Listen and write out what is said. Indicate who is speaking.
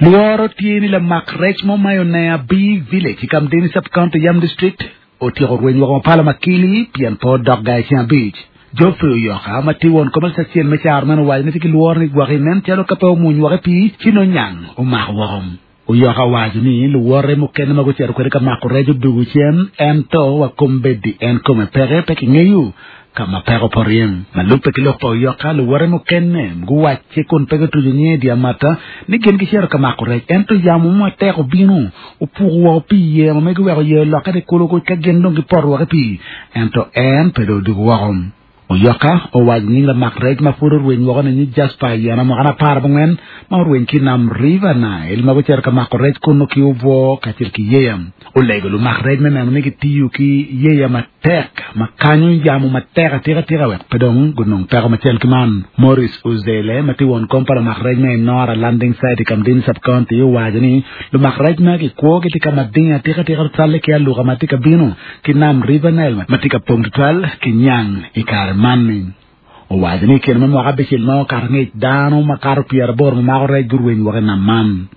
Speaker 1: Lworo tye ni lamak rec mo ma i Onea B Village i Kamdini Sub-County, Yam District otyeko rweny woko mapala makili pien pe odok gang i ceng abic. Geoffrey Oyoka, ma tye won kom alip acel me caro meno owaco ni tye ki lworo ni gwok inen calo ka pe omwony woko i pii ci nongo nyang omako woko. Oyoka owaco ni luwote mukene ma gucito kwede ka mako rec odwogo cen ento wa kombeddi en kome peke pe kingeyo ka ma peko opoto iye. Ma lubbe ki lok pa Oyoka, luwote mukene guwacce kun pe gutuco nyinge i dye amata ni gin gicito ka mako rec ento yamo mo matek obino opuko woko pii i yeya ma megi oweko yeya olokke ni kulu ka gin dong gipoto woko i pii ento en pe dong odwogo woko. Oyoka owaco nying lamak rec ma pud orweny woko ni nyig Jasper Ayena mwakane aparabongwen ma orweny ki i nam River Nile ma gucito ka mako rec kunnu ki obwo kacel ki yeya. Olego lumak rec me neno ni gitiyo ki yeya matek ma kanyo yamo matek atika tika wek pe dong gunong peko macel ki man. Maurice Uzele ma tye won kom pa lumak rec me Enora Landing Site i Kamdini Sub-County owaco ni lumak rec magi kwogi tye ka mading atika tika tutwalle ki aluka ma tye ka bino ki nam River Nile ma tye ka pong tutwal ki nyang i kare man-ni. Owaco ni i kine me mwaka abicel ma okato angec, dano makato pyeraboro ma mako rec gurweny woko i nam man.